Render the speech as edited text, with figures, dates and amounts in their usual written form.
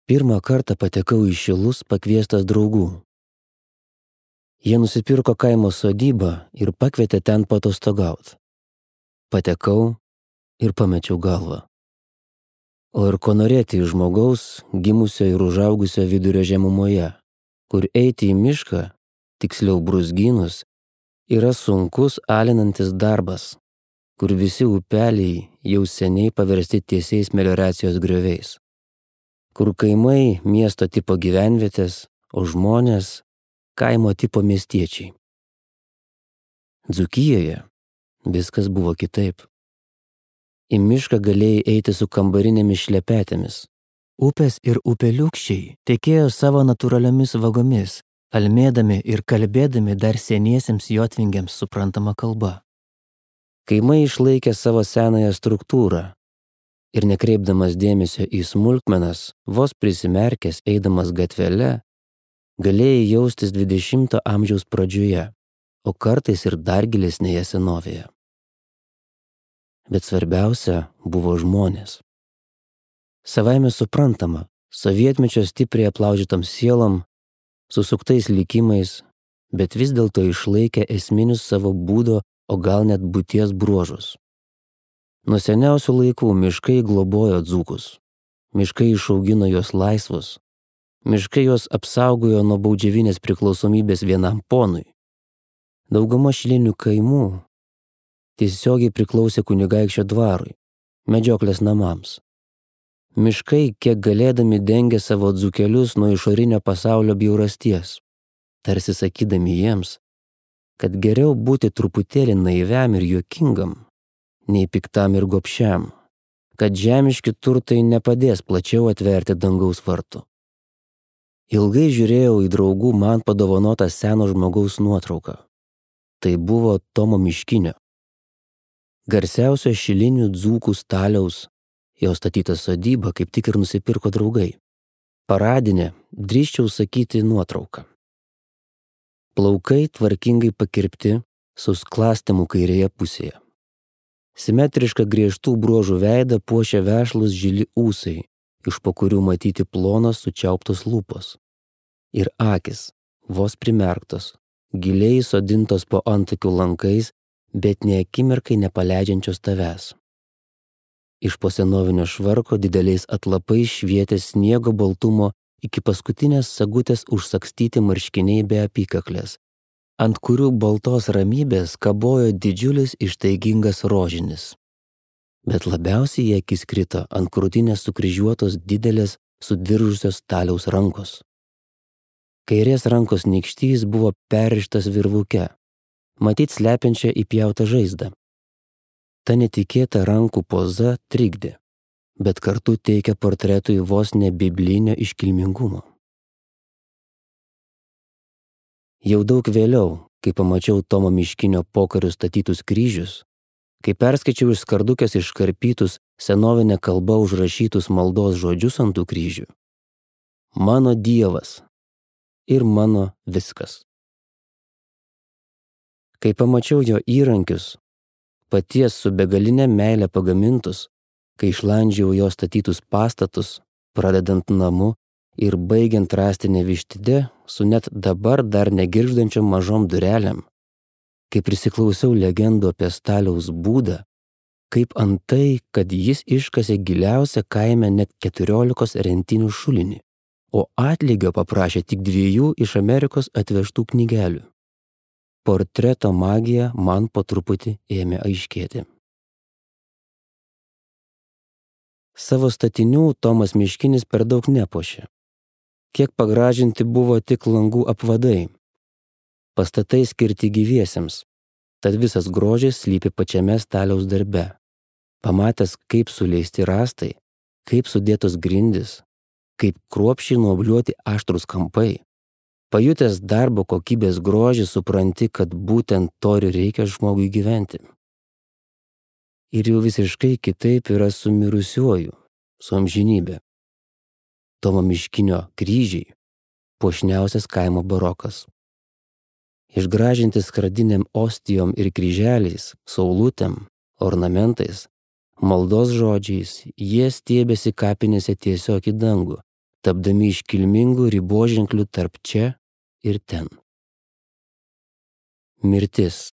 Pirmą kartą patekau į Šilus pakviestas draugų. Jie nusipirko kaimo sodybą ir pakvietė ten paatostogauti. Patekau ir pamečiau galvą. O ir ko norėti iš žmogaus, gimusio ir užaugusio vidurio žemumoje, kur eiti į mišką, tiksliau brūzgynus, yra sunkus alinantis darbas, kur visi upeliai jau seniai paversti tiesiais melioracijos grioviais, kur kaimai miesto tipo gyvenvietės, o žmonės kaimo tipo miestiečiai. Dzūkijoje viskas buvo kitaip. Į mišką galėjai eiti su kambarinėmis šlepetėmis. Upės ir upeliukščiai tekėjo savo natūraliomis vagomis, almėdami ir kalbėdami dar seniesiems jotvingiams suprantama kalba. Kaimai išlaikė savo senąją struktūrą ir nekreipdamas dėmesio į smulkmenas, vos prisimerkęs eidamas gatvele, galėjai jaustis 20 amžiaus pradžioje, o kartais ir dar gilesnėje senovėje. Bet svarbiausia buvo žmonės. Savaime suprantama, sovietmečio stipriai aplaužytom sielom, susuktais likimais, bet vis dėlto išlaikė esminius savo būdo, o gal net būties bruožus. Nuo seniausių laikų miškai globojo dzūkus. Miškai išaugino juos laisvus. Miškai juos apsaugojo nuo baudžiavinės priklausomybės vienam ponui. Dauguma šilinių kaimų tiesiogiai priklausė kunigaikščio dvarui, medžioklės namams. Miškai, kiek galėdami, dengė savo dzūkelius nuo išorinio pasaulio bjaurasties, tarsi sakydami jiems, kad geriau būti truputėlį naiviam ir juokingam, nei piktam ir gobšiam, kad žemiški turtai nepadės plačiau atverti dangaus vartų. Ilgai žiūrėjau į draugų man padovanotą seno žmogaus nuotrauką. Tai buvo Tomo Miškinio, garsiausio šilinių dzūkų staliaus, jo statytą sodybą kaip tik ir nusipirko draugai. Paradinė, drįsčiau sakyti, nuotrauka. Plaukai tvarkingai pakirpti, su sklastimu kairėje pusėje. Simetrišką griežtų bruožų veidą puošia vešlūs žili ūsai, iš po kurių matyti plonos sučiauptos lūpos. Ir akis, vos primerktos, giliai sodintos po antakių lankais, bet nė akimirkai nepaleidžiančios tavęs. Iš po senovinio švarko dideliais atlapais švietė sniego baltumo iki paskutinės sagutės užsakstyti marškiniai be apykaklės, ant kurių baltos ramybės kabojo didžiulis ištaigingas rožinis. Bet labiausiai į akis krito ant krūtinės sukryžiuotos didelės sudiržusios staliaus rankos. Kairės rankos nykštys buvo perrištas virvuke, matyt slepiančia įpjautą žaizdą. Ta netikėta rankų poza trikdė, bet kartu teikia portretui vos ne biblinio iškilmingumo. Jau daug vėliau, kai pamačiau Tomo Miškinio pokariu statytus kryžius, kai perskaičiau iš skardukės iškarpytus senovinę kalbą užrašytus maldos žodžius ant tų kryžių. Mano Dievas ir mano viskas. Kai pamačiau jo įrankius, paties su begalinė meilė pagamintus, kai išlandžiau jo statytus pastatus, pradedant namu ir baigiant rąstinę vištidę su net dabar dar negirgždančiom mažom durelėm, kai prisiklausiau legendų apie Staliaus būdą, kaip antai, kad jis iškasė giliausią kaime net 14 rentinių šulinį, o atlygio paprašė tik 2 iš Amerikos atvežtų knygelių. Portreto magija man po truputį ėmė aiškėti. Savo statinių Tomas Miškinis per daug nepuošė. Kiek pagražinti buvo tik langų apvadai. Pastatai skirti gyviesiems, tad visas grožis slypi pačiame staliaus darbe. Pamatęs, kaip suleisti rąstai, kaip sudėtos grindys, kaip kruopščiai nuobliuoti aštrūs kampai, pajutęs darbo kokybės grožį, supranti, kad būtent to ir reikia žmogui gyventi. Ir jau visiškai kitaip yra su mirusiuoju, su amžinybė. Tomo Miškinio kryžiai – puošniausias kaimo barokas. Išgražinti skardinėm ostijom ir kryželiais, saulutėm, ornamentais, maldos žodžiais, jie stiebėsi kapinėse tiesiog į dangų, tapdami iškilmingų riboženklių tarp čia ir ten. Mirtis